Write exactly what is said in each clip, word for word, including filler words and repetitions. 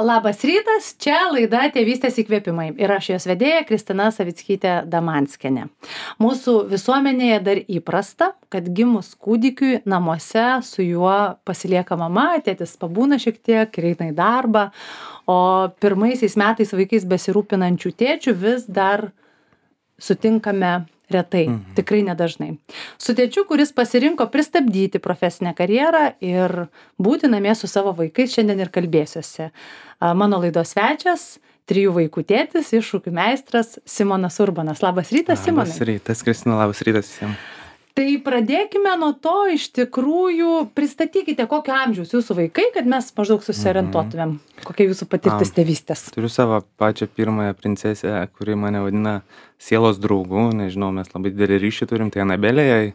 Labas rytas, čia laida Tėvystės įkvėpimai ir aš jos vedėja Kristina Savickytė Damanskienė. Mūsų visuomenėje dar įprasta, kad gimus kūdikiui namuose su juo pasilieka mama, tėtis pabūna šiek tiek ir eina į darbą, o pirmaisiais metais vaikais besirūpinančių tėčių vis dar sutinkame retai, mhm. tikrai nedažnai. Su tėčiu, kuris pasirinko pristabdyti profesinę karjerą ir būti namie su savo vaikais, šiandien ir kalbėsiuosi. Mano laidos svečias, trijų vaikų tėtis, iššūkių meistras Simonas Urbanas. Labas rytas, Simonai. Labas rytas, Kristina, labas rytas visiems. Tai pradėkime nuo to, iš tikrųjų, pristatykite, kokio amžiaus jūsų vaikai, kad mes maždaug susiorientuotumėm, mhm. kokia jūsų patirtis tėvystės. Turiu savo pačią pirmąją princesę, kuri mane vadina sielos draugu, nežinau, mes labai didelį ryšį turim, tai Anabelė, jai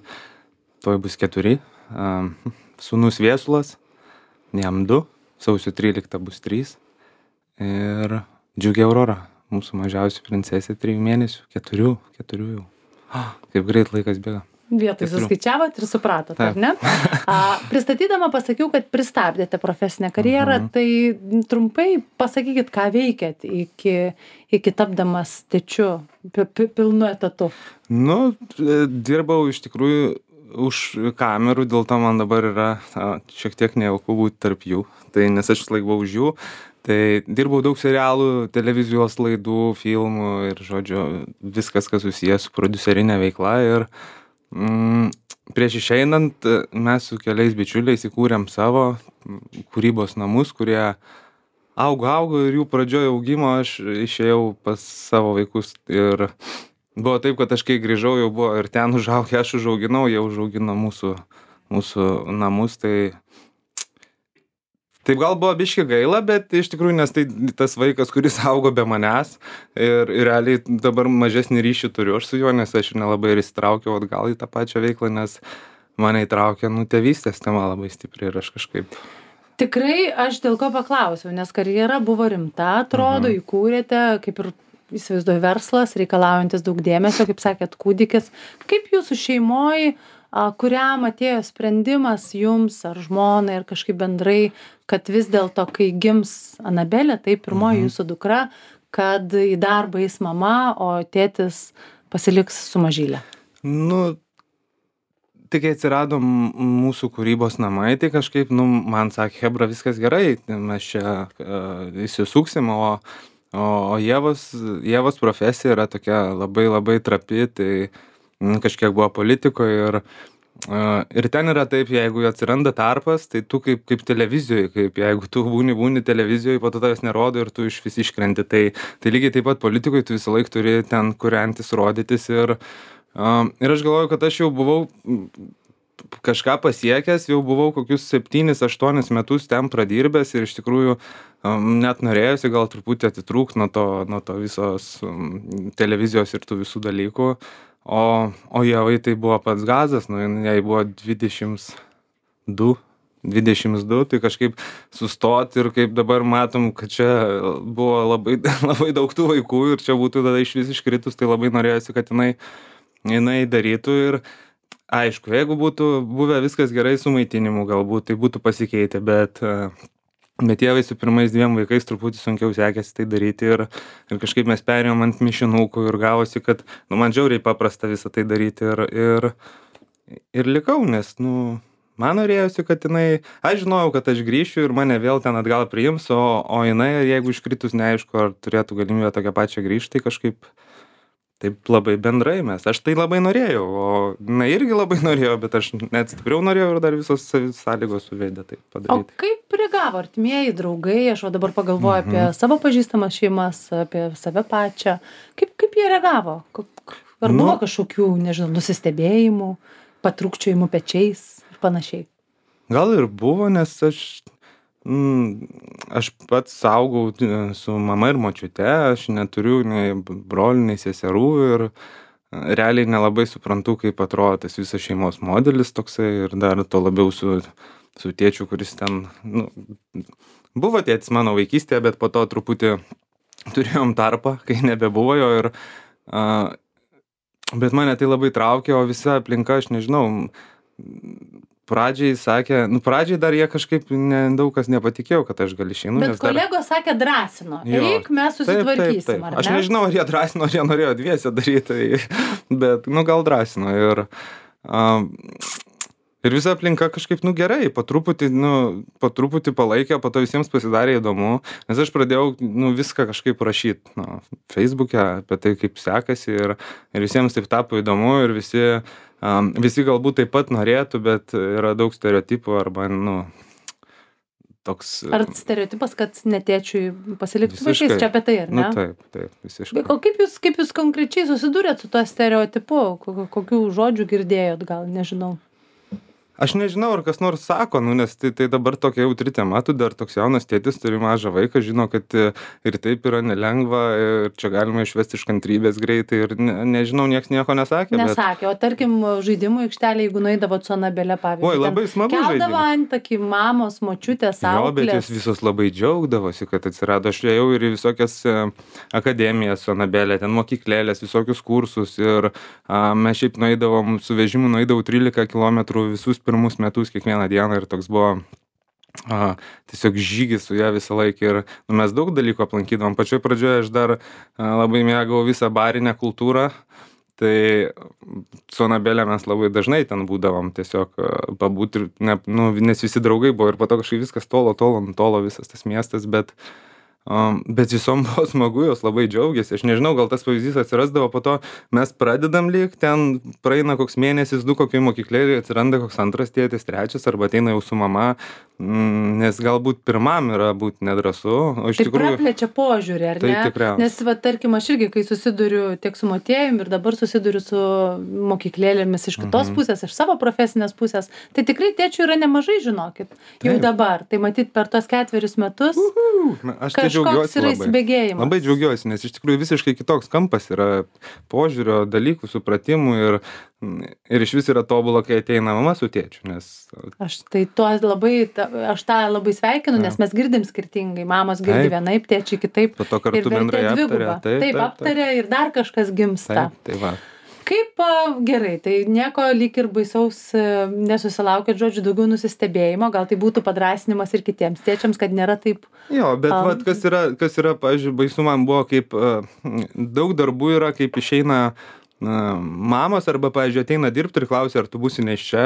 toj bus keturi, um, sūnus Viesulas, jam du, sausio tryliktą bus trys ir Džiugė Aurora, mūsų mažiausia princesė, trijų mėnesių, keturių, keturių jau. Oh, kaip greit laikas bėga. Vietoj suskaičiavot ir supratot, ar ne? A, pristatydama pasakiau, kad pristabdėte profesinę karjerą, uh-huh. tai trumpai pasakykit, ką veikėt iki, iki tapdamas tėčiu pi, pi, pilnu etatu. Nu, dirbau iš tikrųjų už kamerų, dėl to man dabar yra a, šiek tiek nejauku būti tarp jų, tai nes aš laikau už jų. Tai dirbau daug serialų, televizijos laidų, filmų ir, žodžiu, viskas, kas susijęs su prodiuserinė veikla. Ir mm, prieš išeinant mes su keliais bičiuliais įkūrėm savo kūrybos namus, kurie augo, augo ir jų pradžioje augimo aš išėjau pas savo vaikus. Ir buvo taip, kad aš kai grįžau, jau buvo ir ten užaugę, aš užauginau, jie užaugino mūsų, mūsų namus. Tai Taip gal buvo biški gaila, bet iš tikrųjų, nes tai tas vaikas, kuris augo be manęs ir, ir realiai dabar mažesnį ryšį turiu aš su juo, nes aš nelabai ir įsitraukiau atgal į tą pačią veiklą, nes mane įtraukė, nu, tėvystės tema labai stipriai ir aš kažkaip. Tikrai aš dėl ko paklausiau, nes karjera buvo rimta, atrodo, mhm. įkūrėte, kaip ir įsivaizduoju, verslas, reikalaujantis daug dėmesio, kaip sakėt, kūdikis. Kaip jūsų šeimoje, kuriam atėjo sprendimas jums ar žmonai ir kažkaip bendrai, kad vis dėlto, kai gims Anabelė, tai pirmoji mhm. jūsų dukra, kad į darbą eis mama, o tėtis pasiliks su mažylė? Nu, tai kai atsirado mūsų kūrybos namai, tai kažkaip, nu, man sakė, Hebra, viskas gerai, mes čia uh, įsisuksim, o, o, o Ievos, Ievos profesija yra tokia labai labai trapi, tai kažkiek buvo politikoje ir, uh, ir ten yra taip, jeigu atsiranda tarpas, tai tu kaip, kaip televizijoje, kaip jeigu tu būni, būni televizijoje, po to tavęs nerodo ir tu iš vis iškrenti. Tai, tai lygiai taip pat politikoje tu visą laiką turi ten kuriantis, rodytis ir, uh, ir aš galvoju, kad aš jau buvau kažką pasiekęs, jau buvau kokius septynis, aštuonis metus ten pradirbęs ir iš tikrųjų um, net norėjusi gal truputį atitrūkti nuo to, nuo to visos um, televizijos ir tų visų dalykų. O, o Ievai tai buvo pats gazas, nu, jai buvo dvidešimt du, dvidešimt du, tai kažkaip sustoti ir kaip dabar matom, kad čia buvo labai, labai daug tų vaikų ir čia būtų tada iš vis iškritus, tai labai norėjusi, kad jinai, jinai darytų ir aišku, jeigu būtų buvę viskas gerai su maitinimu galbūt, tai būtų pasikeitę, bet Bet Ievai su pirmais dviem vaikais truputį sunkiau sekėsi tai daryti ir, ir kažkaip mes perėjom ant mišinukų ir gavosi, kad nu, man žiauriai paprasta visą tai daryti ir, ir, ir likau, nes nu, man norėjosi, kad jinai, aš žinojau, kad aš grįšiu ir mane vėl ten atgal priims, o, o jinai, jeigu iškritus neaišku, ar turėtų galimybę tokią pačią grįžti, tai kažkaip taip labai bendrai mes. Aš tai labai norėjau, o na irgi labai norėjau, bet aš net stipriau norėjau ir dar visos sąlygos suvedė tai padaryti. O kaip reagavo artimieji, draugai, aš o dabar pagalvoju mhm. apie savo pažįstamas šeimas, apie save pačią. Kaip, kaip jie reagavo? Ar buvo nu, kažkokių, nežinau, nusistebėjimų, patrūkčiojimų pečiais ir panašiai? Gal ir buvo, nes aš Mm, aš pats augau su mama ir močiute, aš neturiu nei brolių, nei seserų ir realiai nelabai suprantu, kaip atrodo tas visas šeimos modelis toksai ir dar to labiau su, su tėčiu, kuris ten, nu, buvo tėtis mano vaikystėje, bet po to truputį turėjom tarpą, kai nebebuvo jo ir, uh, bet mane tai labai traukė, o visa aplinka, aš nežinau, pradžiai sakė, nu pradžiai dar jie kažkaip ne, daug kas nepatikėjo, kad aš gal išeinu. Bet kolegos dar... sakė drąsino, eik, mes susitvarkysim, taip, taip, taip. ar ne? Aš nežinau, ar jie drąsino, ar jie norėjo dviese daryti, bet, nu, gal drąsino. Ir, um, ir visa aplinka kažkaip, nu, gerai, po truputį, nu, po truputį palaikė, po to visiems pasidarė įdomu, nes aš pradėjau, nu, viską kažkaip rašyti, nu, Facebook'e apie tai, kaip sekasi, ir, ir visiems taip tapo įdomu, ir visi... Um, visi galbūt taip pat norėtų, bet yra daug stereotipų arba, nu, toks... Ar stereotipas, kad netėčiui pasilikti su vaikais, čia apie tai, ar ne? Nu, taip, taip, visiškai. O kaip jūs, kaip jūs konkrečiai susidūrėt su tuo stereotipu? Kokių žodžių girdėjot, gal, nežinau? Aš nežinau, ar kas nors sako, nu, nes tai, tai dabar tokia jautri tema, tu dar toks jaunas tėtis, turi mažą vaiką, žino, kad ir taip yra nelengva, ir čia galima išvesti iš kantrybės greitai, ir ne, nežinau, nieks nieko nesakė. Nesakė, bet... o tarkim, žaidimų aikštelė, jeigu nueidavot su Anabele, pavyzdžiui. Oi, labai smagu žaidimų. Keldavo antakį mamos, močiutės, auklės. Jo, bet jos visos labai džiaugdavosi, kad atsirado. Aš ėjau ir į visokias akademijas su Anabele, ten mokyklėlės, visokius kursus, ir a, mes šiaip nueidavom, su vežimu nueidavau trylika kilometrų visus pirmus metus kiekvieną dieną, ir toks buvo a, tiesiog žygis su ją visą laiką, ir nu, mes daug dalykų aplankydavom. Pačioj pradžioje aš dar a, labai mėgau visą barinę kultūrą, tai su Anabele mes labai dažnai ten būdavom tiesiog pabūti, ir ne, nu, nes visi draugai buvo, ir po to kažkaip viskas tolo, tolo, tolo visas tas miestas, bet Um, bet visom buvo smagu, jos labai džiaugiasi. Aš nežinau, gal tas pavyzdys atsirasdavo, po to mes pradedam lyg, ten praeina koks mėnesis, du kokiai mokyklėlė, atsiranda koks antras tėtis, trečias, arba ateina jau su mama, mm, nes galbūt pirmam yra būti nedrąsu. O iš tai tikrųjų... praplečia požiūrį, ar tai ne? Tikriausiai. Nes, va, tarkim, aš irgi, kai susiduriu tiek su Motiejum ir dabar susiduriu su mokyklėlėmis iš kitos Mhm. pusės, iš savo profesinės pusės, tai tikrai tėčių yra nemažai, žinokit, jau Taip. dabar. Tai matyt, per tos ketverius metus Aš tai kažkoks džiaugiuosi yra labai. įsibėgėjimas. Labai džiaugiuosi, nes iš tikrųjų visiškai kitoks kampas yra požiūrio, dalykų, supratimų, ir, ir iš vis yra tobula, kai ateina mama su tėčiu, nes... Aš tai tuo labai, ta- aš tą labai sveikinu, nes mes girdim skirtingai. Mamos girdi Taip. vienaip, tėčiai kitaip. Po to kartu Ir vertė bendrai aptaria. dviguba. Taip, Taip, taip, taip. aptaria ir dar kažkas gimsta. Taip, tai va. Kaip a, gerai, tai nieko lyg ir baisaus e, nesusilaukėt, žodžiu, daugiau nusistebėjimo, gal tai būtų padrasinimas ir kitiems tėčiams, kad nėra taip. Jo, bet Am. vat, kas yra, kas yra, pavyzdžiui, baisu man buvo, kaip uh, daug darbų yra, kaip išeina uh, mamos, arba, pavyzdžiui, ateina dirbti ir klausia, ar tu būsi nėščia,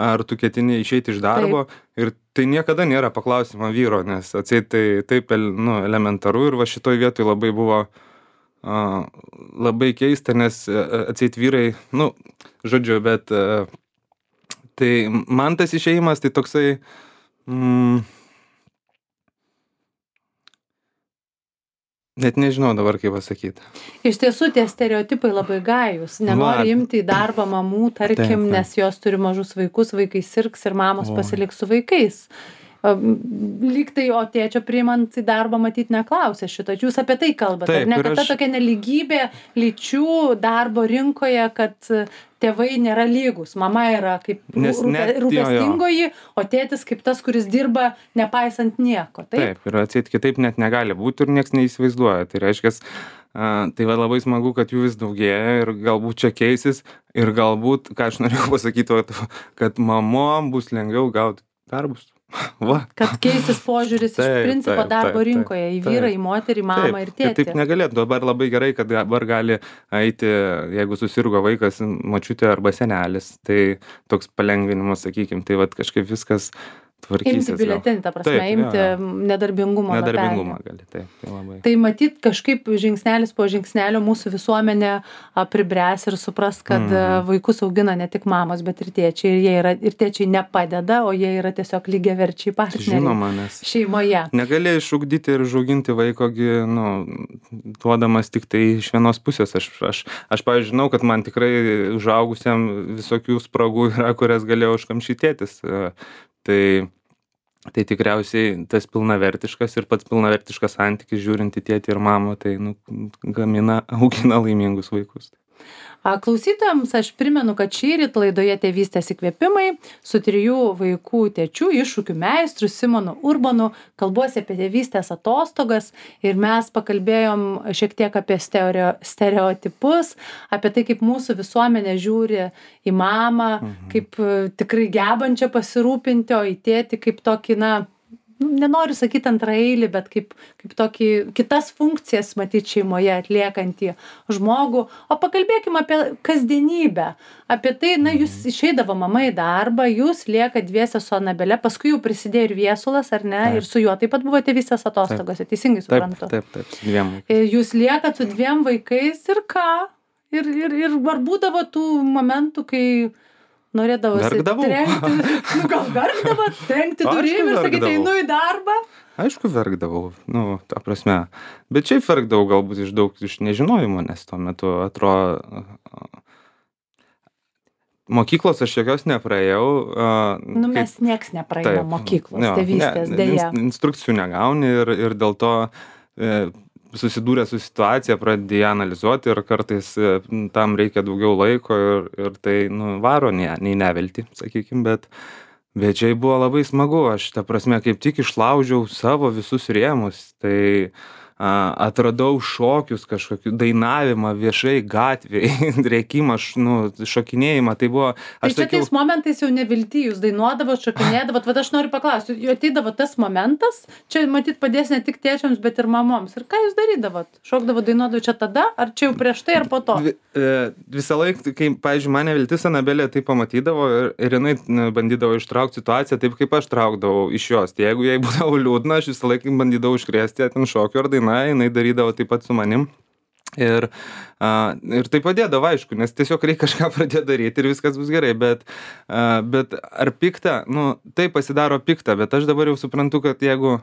ar tu ketini išeiti iš darbo. Taip. Ir tai niekada nėra paklausimo vyro, nes atseit tai taip el- nu, elementaru, ir va šitoj vietoj labai buvo uh, labai keista, nes uh, atseit vyrai, nu, žodžiu, bet uh, tai man tas išėjimas tai toksai... Mm, net nežinau dabar, kaip pasakyti. Iš tiesų, tie stereotipai labai gajus. Nenori Va. imti į darbą mamų, tarkim, Taip, taip. nes jos turi mažus vaikus, vaikai sirgs ir mamos Oi. pasiliks su vaikais. Am, Lyg tai, o tėčio priimant į darbą matyti neklausė šito. Jūs apie tai kalbate, Taip, ar ne? ir Kad ta aš- tokia neligybė lyčių darbo rinkoje, kad e, tėvai nėra lygus. Mama yra kaip Nes rūpe- net- jo, jo. rūpestingoji, o tėtis kaip tas, kuris dirba nepaisant nieko. Taip? Taip, ir atseit kitaip net negali būti, ir nieks neįsivaizduoja. Tai reiškia, uh, tai va labai smagu, kad jų vis daugėja, ir galbūt čia keisis, ir galbūt, ką aš norėjau pasakyti, vat, kad mamom bus lengviau gauti darbus. Va. Kad keisis požiūris iš Taip, principo taip, darbo taip, rinkoje į taip, vyrą, į moterį, mamą Taip, ir kad tėtį. taip negalėtų. Dabar labai gerai, kad dabar gali eiti, jeigu susirgo vaikas, močiutė arba senelis. Tai toks palengvinimas, sakykime, tai vat kažkaip viskas tvarkysis. Imti gal. biuletenį, ta prasme, Taip, jo, imti jo. nedarbingumo. Nedarbingumą lapelį. gali, taip, tai labai. Tai matyt, kažkaip žingsnelis po žingsnelio mūsų visuomenė a, pribręs ir supras, kad Mhm. a, vaikus augina ne tik mamos, bet ir tėčiai. Ir, jie yra, ir tėčiai nepadeda, o jie yra tiesiog lygiaverčiai partneriai Žinoma, nes šeimoje. negali išugdyti ir užauginti vaikogi, nu, duodamas tik tai iš vienos pusės. Aš, aš, aš pavyzdžiui, žinau, kad man tikrai užaugusiam visokių spragų yra, kurias galėjau užkamšytėtis. Tai, tai tikriausiai tas pilnavertiškas ir pats pilnavertiškas santykis žiūrint į tėtį ir mamą, tai nu, gamina, augina laimingus vaikus. Klausytojams aš primenu, kad šįryt laidoje Tėvystės įkvėpimai su trijų vaikų tėčiu, iššūkių meistru Simonu Urbonu kalbuosi apie tėvystės atostogas ir mes pakalbėjom šiek tiek apie stereo, stereotipus, apie tai, kaip mūsų visuomenė žiūri į mamą, mhm. kaip tikrai gebančią pasirūpinti, o į tėtį kaip tokį, na, nenoriu sakyti antraeilį, bet kaip, kaip tokį kitas funkcijas matyti šeimoje atliekantį žmogų. O pakalbėkime apie kasdienybę, apie tai, na, jūs išeidavo mama į darbą, jūs lieka dviese su Anabele, paskui jau prisidėjo ir Viesulas, ar ne, taip. Ir su juo taip pat buvo tėvystės atostogose, teisingai suprantu. Taip, taip, taip, su dviem vaikais. Jūs liekat su dviem vaikais ir ką? Ir, ir, ir ar būdavo tų momentų, kai norėdavosi verkdavau. Trenkti, nu gal verkdavo, trenkti durim ir sakyti, einu į darbą? Aišku, verkdavau, nu, ta prasme. Bet šiaip verkdavau galbūt iš daug iš nežinojimo, nes tuo metu atrodo, mokyklos aš jokios nepraėjau. Nu, kaip, mes nieks nepraėjo mokyklos, jo, tėvystės, ne, dėja. Instrukcijų negauni ir, ir dėl to e, susidūrė su situacija, pradėjai analizuoti ir kartais tam reikia daugiau laiko ir, ir tai nu, varo nei, nei nevilti, sakykime, bet, bet čia buvo labai smagu, aš ta prasme kaip tik išlaužiau savo visus rėmus, tai a, atradau šokius kažkokių, dainavimą viešai gatvėje, rėkimą, nu, šokinėjimą, tai buvo... Tai čia sakiau, tais momentais jau nevilti, jūs dainuodavot, šokinėdavot, bet aš noriu paklausti, jau ateidavo tas momentas, čia matyt padės ne tik tėčiams, bet ir mamoms. Ir ką jūs darydavot? Šokdavot, dainuodavot čia tada, ar čia jau prieš tai, ar po to? Vi, e, visą laiką, kai, pavyzdžiui, mane viltis Anabelė tai pamatydavo ir, ir jinai bandydavo ištraukti situaciją taip, kaip aš traukdavau iš jos. Tai jeigu jai būdavo liūdna, aš visą laiką bandydavau iškrėsti ten šokio ar dainą, jinai darydavo taip pat su manim. Ir, a, ir tai padėdavo, aišku, nes tiesiog reikia kažką pradėti daryti ir viskas bus gerai, bet, a, bet ar pikta, nu, tai pasidaro pikta, bet aš dabar jau suprantu, kad jeigu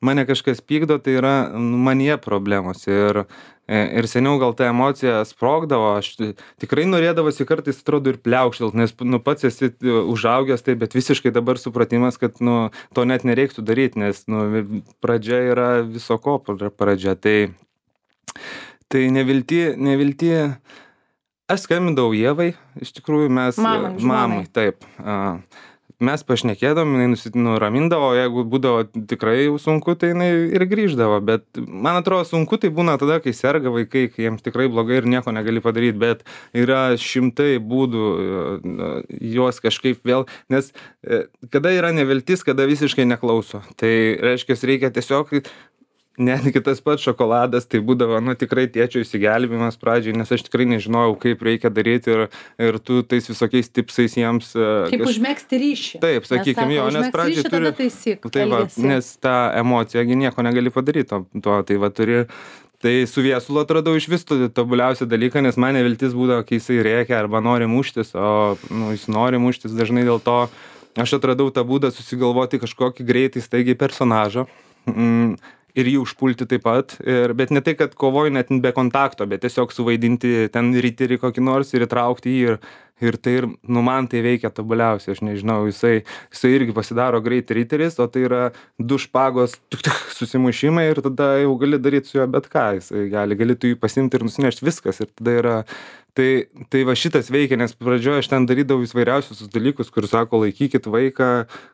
mane kažkas pykdo, tai yra nu, manyje problemos ir, ir seniau gal ta emocija sprogdavo, aš tikrai norėdavosi kartais, atrodo, ir pliaukštelt, nes nu, pats esi užaugęs, tai, bet visiškai dabar supratimas, kad nu, to net nereiktų daryti, nes nu, pradžia yra viso ko pradžia, tai Tai nevilti, nevilti, aš skambindavau Ievai, iš tikrųjų mes, mamai, mamai taip, mes pašnekėdom, jinai nuramindavo, jeigu būdavo tikrai jau sunku, tai jinai ir grįždavo, bet man atrodo sunku tai būna tada, kai serga vaikai, kai jiems tikrai blogai ir nieko negali padaryti, bet yra šimtai būdų juos kažkaip vėl, nes kada yra neviltis, kada visiškai neklauso, tai reiškia, reikia tiesiog netgi tas pats šokoladas, tai būdavo, nu, tikrai tėčio įsigelbėjimas pradžiai, nes aš tikrai nežinojau, kaip reikia daryti ir, ir tu tais visokiais tipsais jiems... Kaip kaž... užmegzti ryšį. Taip, sakykime, jo, nes pradžiai ryšį, turi... Taisyk, tai va, nes tą emociją nieko negali padaryti, to, to, tai va turi... Tai su Viesulu atradau iš vis tobuliausią dalyką, nes mane viltis būdavo, kai jisai rėkia arba nori muštis, o nu, jis nori muštis dažnai dėl to. Aš atradau tą būdą susigalvoti kažkokį greitai, staigiai personažą. Mm. Ir jį užpulti taip pat, ir, bet ne tai, kad kovoju net be kontakto, bet tiesiog suvaidinti ten riterį kokį nors ir įtraukti jį ir, ir tai ir, nu, man tai veikia tobuliausiai, aš nežinau, jisai, jisai irgi pasidaro greit riteris, o tai yra du špagos tuk, tuk, susimušimai ir tada jau gali daryti su juo bet ką, jisai gali, gali tu jį pasimti ir nusinešti viskas ir tada yra... Tai, tai va šitas veikia, nes pradžioje aš ten darydavau įvairiausius dalykus, kur sako, laikykit vaiką,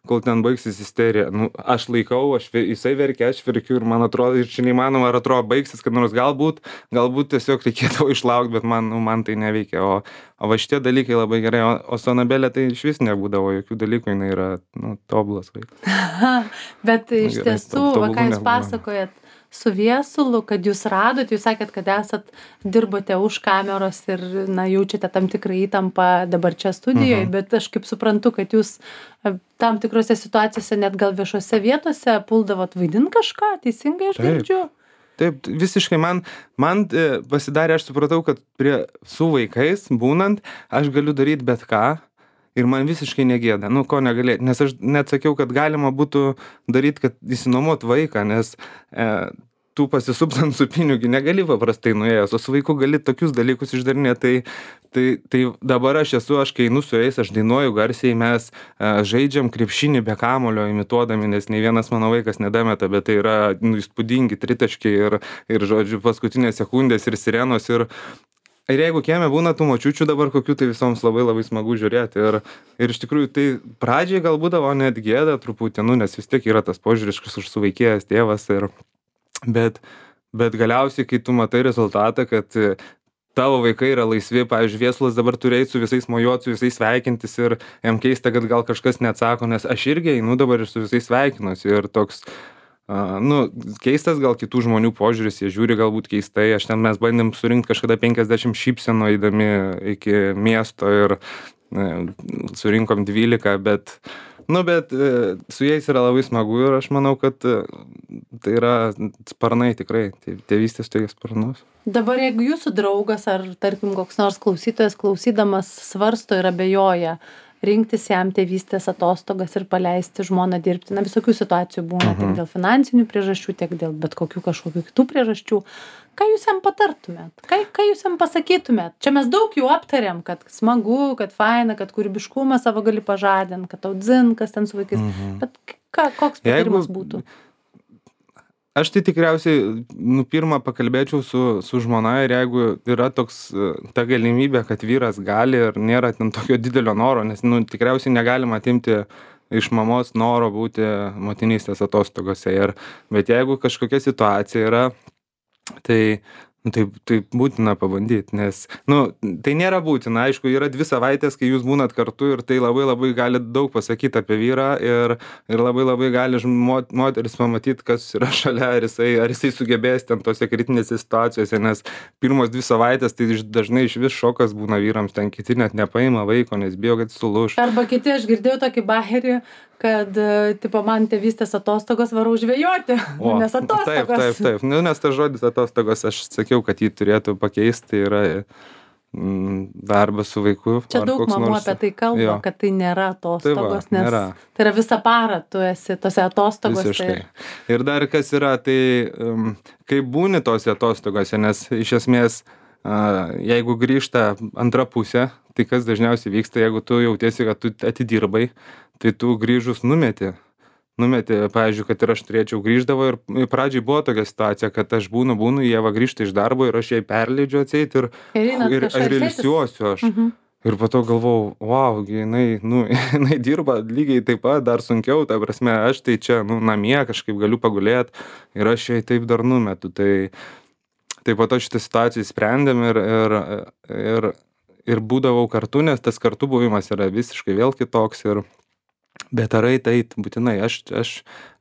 kol ten baigsis isterija. Nu, aš laikau, aš, jisai verkia, aš verkiu ir man atrodo, ir čia neįmanoma, ar atrodo baigsis, kad nors galbūt, galbūt tiesiog reikėtų išlaukti, bet man, nu, man tai neveikia. O, o va šitie dalykai labai gerai, o, o su Anabelė tai iš vis nebūdavo jokių dalykų, jinai yra, nu, tobulas vaikas. Bet iš nu, gerai, tiesų, va ką jūs pasakojat, su Viesulu, kad jūs radot, jūs sakėt, kad esat, dirbote už kameros ir, na, jaučiate tam tikrą įtampą dabar čia studijoje, mhm. bet aš kaip suprantu, kad jūs tam tikrose situacijose, net gal viešose vietose, puldavot vaidint kažką, teisingai aš girdžiu? Taip, visiškai man, man pasidarė, aš supratau, kad prie, su vaikais būnant, aš galiu daryti bet ką. Ir man visiškai negėda, nu ko negalėti, nes aš net sakiau, kad galima būtų daryti, kad įsinuomot vaiką, nes e, tu pasisuptant su pinigiu negali paprastai nuėjęs, o su vaiku gali tokius dalykus išdarinėti, tai, tai, tai dabar aš esu, aš kai einu su jais, aš dainuoju garsiai, mes e, žaidžiam krepšinį be kamulio imituodami, nes nei vienas mano vaikas nedameta, bet tai yra nu, įspūdingi tritaškiai ir, ir, žodžiu, paskutinės sekundės ir sirenos ir ir jeigu kieme būna tų močiučių dabar kokių, tai visoms labai labai smagu žiūrėti. Ir, ir iš tikrųjų tai pradžiai gal būdavo net gėda truputį, nu, nes vis tiek yra tas požiūris, kas užsuvaikėjęs tėvas. Ir, bet, bet galiausiai, kai tu matai rezultatą, kad tavo vaikai yra laisvi, pavyzdžiui, Viesulas dabar turi eiti su visais mojuoti, su visais sveikintis ir jam keista, kad gal kažkas neatsako, nes aš irgi einu dabar ir su visais sveikinuosi. Ir toks, uh, nu, keistas gal kitų žmonių požiūris, jie žiūri galbūt keistai. Aš ten mes bandėm surinkti kažkada penkiasdešimt šypsenų eidami iki miesto ir uh, surinkom dvylika, bet, nu, bet uh, su jais yra labai smagu ir aš manau, kad uh, tai yra sparnai tikrai, tėvystės tokie sparnus. Dabar jeigu jūsų draugas ar, tarkim, koks nors klausytojas klausydamas svarsto ir abejoja, rinktis jam tėvystės atostogas ir paleisti žmoną dirbti, na, visokių situacijų būna, tiek dėl finansinių priežasčių, tiek dėl bet kokių kažkokių kitų priežasčių. Ką jūs jam patartumėt? Ką, ką jūs jam pasakytumėt? Čia mes daug jau aptarėm, kad smagu, kad faina, kad kūrybiškumą savo gali pažadinti, kad tau dzin, kas ten su vaikais. Mhm. Bet ką, koks patarimas Jeigu... būtų? Aš tai tikriausiai, nu, pirmą pakalbėčiau su, su žmona ir jeigu yra toks, ta galimybė, kad vyras gali ir nėra ten tokio didelio noro, nes, nu, tikriausiai negalima atimti iš mamos noro būti motinystės atostogose. Ir, bet jeigu kažkokia situacija yra, tai, nu, tai, tai būtina pabandyti, nes, nu, tai nėra būtina. Aišku, yra dvi savaitės, kai jūs būnat kartu ir tai labai labai gali daug pasakyti apie vyrą ir, ir labai labai gali mot, moteris pamatyti, kas yra šalia, ar jisai, ar jisai sugebės ten tose kritinėse situacijose, nes pirmos dvi savaitės tai dažnai iš vis šokas būna vyrams, ten kiti net nepaima vaiko, nes bijo, kad sulūš. Arba kiti, aš girdėjau tokį baherį, kad, tipo, man tėvystės atostogos varau žvejoti, o, nes atostogos. Taip, taip, taip. Nu, nes tas žodis atostogos, aš sakiau, kad jį turėtų pakeisti, tai yra mm, darbas su vaiku. Čia daug mamų nors... apie tai kalba, jo. Kad tai nėra atostogos, tai va, nes nėra. Tai yra visą parą tu esi tose atostogose. Visiškai. Ir... ir dar kas yra, tai um, kai būni tose atostogose, nes iš esmės, uh, jeigu grįžta antra pusė, tai kas dažniausiai vyksta, jeigu tu jautiesi, kad tu atidirbai, tai tu grįžus numeti. Numeti, pavyzdžiui, kad ir aš turėčiau grįždavo ir pradžiai buvo tokia situacija, kad aš būnu, būnu, Ieva grįžta iš darbo ir aš jai perleidžiu atseit ir, ir, ir, ir ilsiuosiu aš. Mhm. Ir po to galvau, wow, jinai, nu, jinai dirba lygiai taip pat, dar sunkiau, ta prasme, aš tai čia, nu, namie kažkaip galiu pagulėti ir aš jai taip dar numetu. Tai, tai po to šitą situaciją sprendėm ir, ir, ir, ir būdavau kartu, nes tas kartu buvimas yra visiškai vėl kitoks. Ir, bet ar eit, eit, būtinai, aš, aš,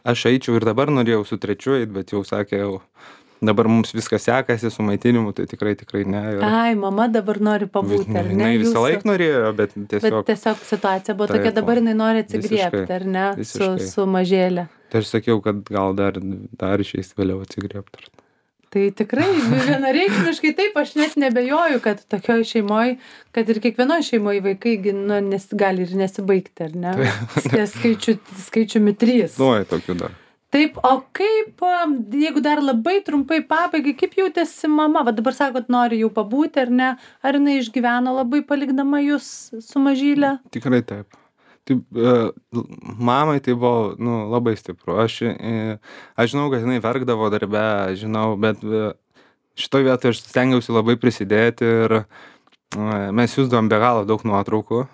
aš eičiau ir dabar norėjau su trečiu eit, bet jau sakė, jau dabar mums viskas sekasi su maitinimu, tai tikrai, tikrai ne. Ir... Ai, mama dabar nori pabūti, ar ne? Jinai visą jūsų... laiką norėjo, bet tiesiog... Bet tiesiog situacija buvo tokia, dabar jinai nori atsigriebti, ar ne, su, su mažėlė. Tai aš sakiau, kad gal dar, dar išeis vėliau atsigriebti. Tai tikrai vienareikšmiškai taip, aš net nebejoju, kad tokioj šeimoj, kad ir kiekvienoj šeimoj vaikai nu, nes, gali ir nesibaigti, ar ne? Ties skaičiu, skaičiumi trys. Nuoj, tokių dar. Taip, o kaip, jeigu dar labai trumpai pabaigai, kaip jautėsi mama? Va dabar sakot, nori jau pabūti, ar ne? Ar jinai išgyveno labai palikdama jūs su mažyle? Tikrai taip. Taip, mamai tai buvo, nu, labai stipru. Aš, aš žinau, kad jinai verkdavo darbe, žinau, bet šitoj vietoj aš stengiausi labai prisidėti ir mes siųsdavom be galo daug nuotraukų.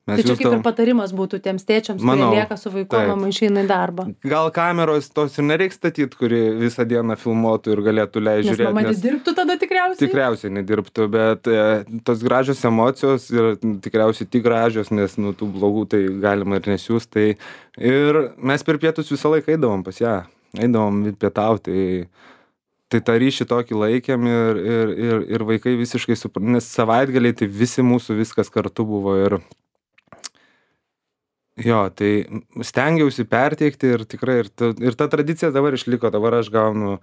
Mes tai čia kaip ir patarimas būtų tiems tėčiams, manau, kurie lieka su vaiku, mama išeina į darbą. Gal kameros tos ir nereiks statyti, kuri visą dieną filmuotų ir galėtų leisti žiūrėti. Nes mama nedirbtų tada tikriausiai? Tikriausiai nedirbtų, bet e, tos gražios emocijos ir tikriausiai tik gražios, nes nu, tų blogų tai galima ir nesiūs. Tai ir mes per pietus visą laiką eidavom pas ją, eidavom pietauti. Tai, tai tą ryšį tokį laikėm ir, ir, ir, ir vaikai visiškai suprantu, nes savaitgaliai tai visi mūsų viskas kartu buvo ir jo, tai stengiausi perteikti ir tikrai, ir ta, ir ta tradicija dabar išliko, dabar aš gaunu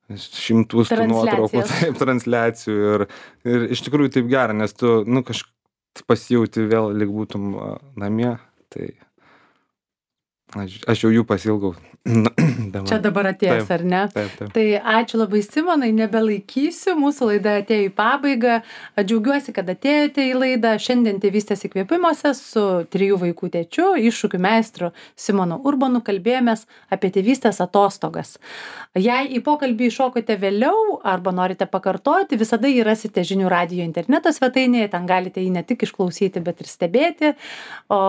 šimtus tų nuotraukų, taip, transliacijų ir, ir iš tikrųjų taip gera, nes tu, nu, kažkaip pasijauti vėl lyg būtum namie, tai Aš, aš jau jų pasilgau. dabar. Čia dabar atėjęs, Taip, ar ne? Taip, taip. Tai ačiū labai, Simonai, nebelaikysiu, mūsų laida atėjo į pabaigą. Džiaugiuosi, kad atėjote į laidą. Šiandien Tėvystės įkvėpimuose su trijų vaikų tėčiu, iššūkių meistru Simonu Urbonu kalbėjomės apie tėvystės atostogas. Jei į pokalbį iššokote vėliau arba norite pakartoti, visada jį rasite Žinių radijo interneto svetainėje, ten galite jį ne tik išklausyti, bet ir stebėti. O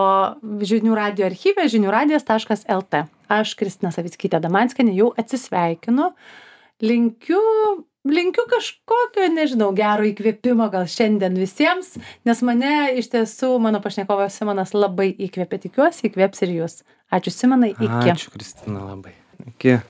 Žinių radijo archyve žinių radijas taškas lt. Aš, Kristina Savickytė Damanskienė, jau atsisveikinu. Linkiu, linkiu kažkokio, nežinau, gero įkvėpimo gal šiandien visiems, nes mane iš tiesų, mano pašnekovas Simonas labai įkvėpė, tikiuosi, įkvėps ir jūs. Ačiū, Simonai, iki. Ačiū, Kristina, labai. Iki.